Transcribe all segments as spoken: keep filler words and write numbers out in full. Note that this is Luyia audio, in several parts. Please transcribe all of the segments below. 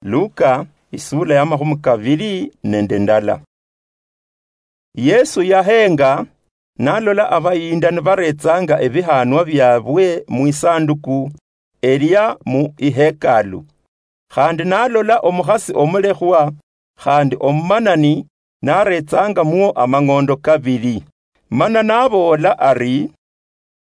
Luka, isula ya makhumi kavili nende ndala. Yesu yahenga, nalola avayinda nivaretsanga evihanwa vyavwe mwisanduku elia mu ihekalu. Khandi nalola omukhasi omulekhwa khandi omumanani naretsangamwo amang'ondo kavili. Mana navoola ari,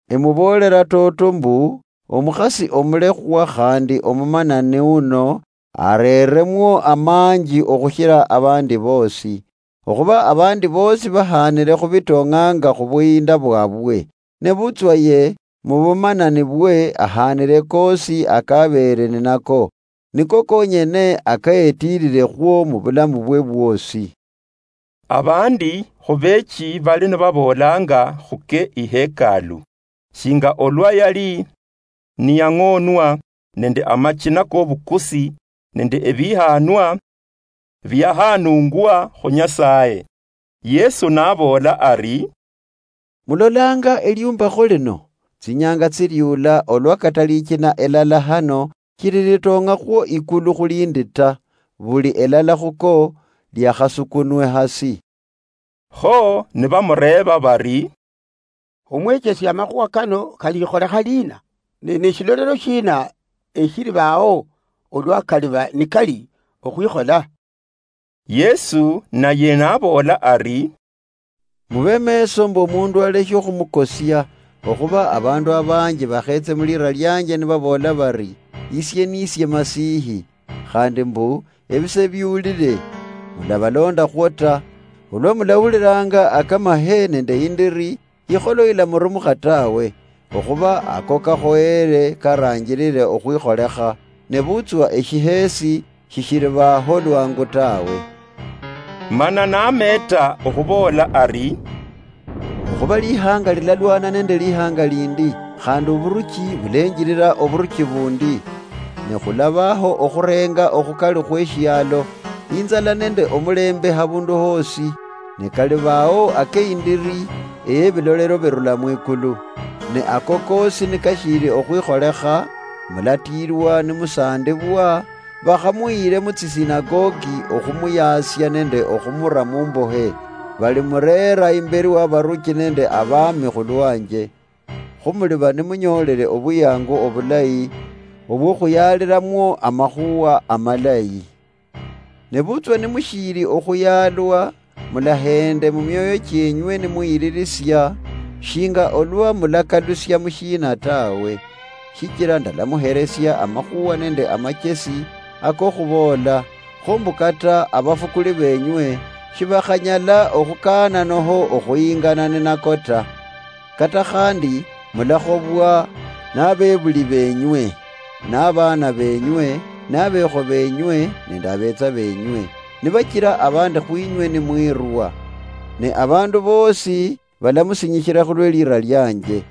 "Emuvoolera toto mbu, omukhasi omulekhwa khandi omumanani uno areremwo amanji okhushira avandi vosi, okhuva avandi vosi vahanire khuvitong'anga khuvuyinda vwavwe, nevutswa ye muvumanani vwe ahanire kosi akavere ninako, niko konyene akayetirirekhwo muvulamu vwe vwosi." Avandi khuvechi vali nivavolanga khuke ihekalu, shinga olwa yali niyang'onwa nende amachina kovukusi nende evihanwa viahanungwa khu Nyasaye. Yesu navoola ari, "Mulolanga eliumbakho lino? Tsinyanga tsiliula olwa kata lichina elala hano chililitong'akhwo ikulu khulindi ta, vuli elala khuko liakhasukunwe hasi." Kho nivamureeva vari, "Omwechesi, amakhuwa kano kalikholekha liina? Ne neshilolelo shina eshilivao olwa kaliva nikali okhwikhola?" Yesu naye navoola ari, "Muve meso mbu omundu aleshe okhumukosia, okhuva avandu avanji vakhetse mulira lianje nivavoola vari, 'Isie nisie Masihi,' khandi mbu, 'Evise viulile,' mulavalondakhwo ta. Olwa mulahulilanga akamahe nende indiri, ikholo ilamurumukha tawe, okhuva ako kakhoyere karanjirire okhwikholekha, nevutswa eshihesi shishirivaho lwangu tawe." Mana nameta okhuvoola ari, "Okhuva lihanga lilalwana nende lihanga lindi, khandi ovuruchi vulenjirira ovuruchi vundi, ne khulavaho okhurenga okhukali khweshialo, inzala nende omulembe havundu hosi, ne kalivao akeindiri eyevilolero virula mwikulu. Ne ako kosi nikashiri okhwikholekha, mulatiirwa nimusandivwa, vakhamuyire mutsisinagogi okhumuyaasia nende okhumura mumbohe, valimurera imberi wa varuchi nende avami khulwanje. Khumuliva nimunyoolere ovuyangu ovulayi ovwokhuyaliramwo amakhuwa amalayi. Nevutswa nimushiiri okhuyalwa, mulahende mumioyo chienywe nimuyiririsia, shinga olwa mulakalusia mushiina tawe, shichira ndalamuheresia amakhuwa nende amachesi akokhuvoola, kho mbu kata avafukuli venywe shivakhanyala okhukaananoho okhuyingana ninako ta. Kata khandi mulakhobwa navevuli venywe, navana venywe, navekho venywe, nende avetsa venywe, nivachira avandi khwinywe nimwirwa. Ne avandu vosi valamusinyishira khulwe lira lianje.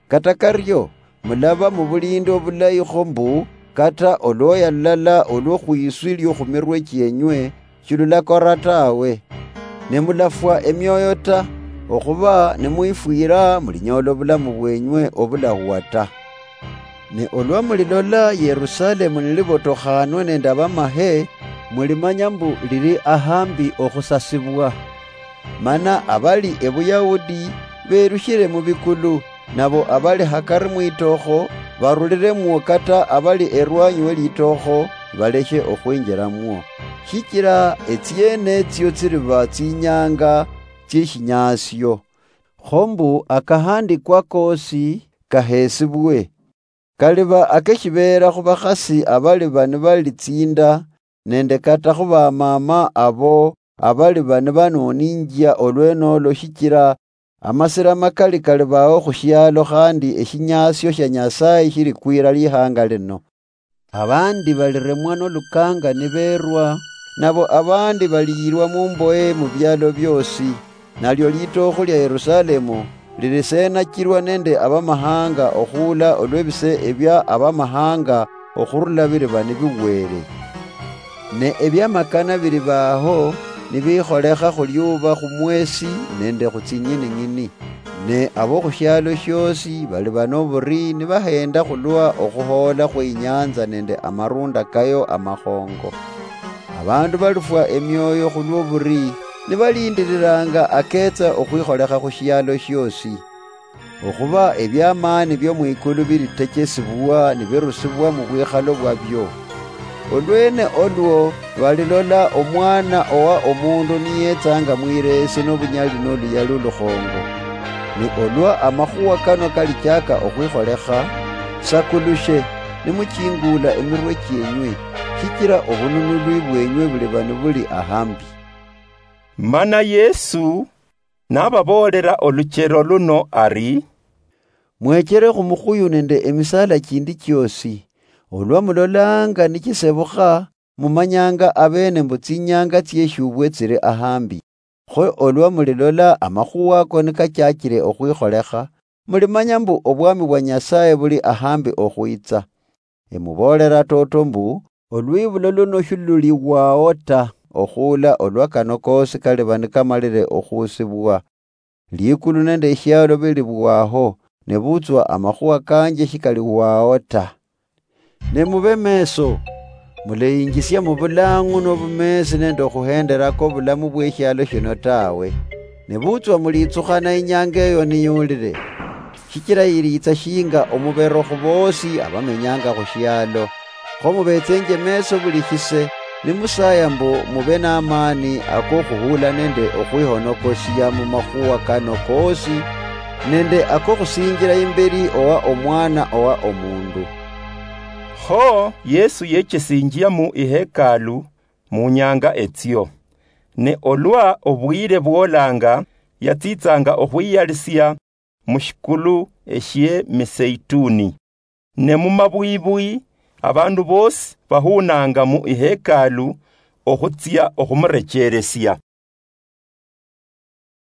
Kata kario, mulava muvulindi ovulayi kho mbu, kata olwoya lulala olwo khwiswi liokhumirwe chienywe, shilulakora tawe. Ne mulafwa emioyo ta, okhuva nimwifwira mulinyoola ovulamu vwenywe ovulahuwa ta. Ne olwa mulilola Yerusalemu nilivotokhanwe nende avamahe, mulimanya mbu lili ahambi okhusasivwa. Mana avali Evuyahudi verushire muvikulu, navo avali hakari mwitokho, varuliremwo kata avali erwanyi welitokho, valeshe okhwinjiramwo. Shichira etsienetsio tsiliva tsinyanga tsieshinyasio. Kho mbu akahandikwa kosi kahesibwe. Kaliva akeshiveera khuvakhasi avaliva nivalitsinda, nende kata khuvamama avo avaliva nivanoninjia olwenolo, shichira amasira makali kalivao khushialo, khandi eshinyasio shia Nyasaye shilikwira lihanga lino. Avandi valiremwa nolukanga niverwa, navo avandi valiyirwa mumboye muvialo viosi. Nalio litokho lia Yerusalemu lilisenachirwa nende avamahanga okhuula olwevise evia avamahanga okhurula viliva niviwere. Ne eviamakana vilivaho nivikholekha khuliuva khumwesi nende khutsinyining'ini. Ne abo khushialo shiosi baliba noburi nibahenda khulwa okhuhoola khwe inyanza nende amarunda kayo amakhongo. Abandu balifwa emioyo khulwoburi nibalindiriranga aketsa okhwikholekha khushialo shiosi. Okhuba ebiamaani bio mwikulu bilitechesibwa nibirusibwa mubwikhalo bwabio. Olwene olwo balilola Omwana owa Omundu niyetsanga mwireesi nobunyali noluyali olukhongo. Ne olwa amakhuwa kano kalichaka okhwikholekha, sakulushe, nimuchingula emirwe chienywe, shichira obununulwi bwenywe buliba nibuli ahambi. Mana Yesu nababoolera oluchero luno ari, "Mwechere khumukhuyu nende emisala chindi chiosi. Olwa mulolanga nichisebukha, mumanyanga abene mbu tsinyanga tsieshubwe tsiri ahambi. Kho olwa mulilola amakhuwa ako nikachachire okhwikholekha, mulimanya mbu obwami bwa Nyasaye buli ahambi okhwitsa. Emuboolera toto mbu, olwibulo luno shiluliwao ta, okhuula olwa kano koosi kaliba nikamalire okhuusibwa. Likulu nende eshialo bilibwaho, nebutswa amakhuwa kanje shikaliwao ta. Ne mube meso, muleyinjisia mubulang'u nobumeesi nende okhuhenderako obulamu bweshialo shino tawe. Nebutswa mulitsukhana inyanga eyo niyulire, shichira yilitsa shinga omubero khuboosi abamenyanga khushialo. Kho mubetsenje meso buli shise, nimusaya mbu mube namani akokhuhula nende okhwihonokosia mumakhuwa kano koosi, nende akokhusinjira imberi owa Omwana owa Omundu." Kho Yesu yechesinjia mu ihekalu munyanga etsio. Ne olwa obwire bwolanga, yatsitsanga okhwiyalisia mushikulu eshie Miseituni. Ne mumabwibwi, abandu bosi bahunanga mu ihekalu okhutsia okhumurecheresia.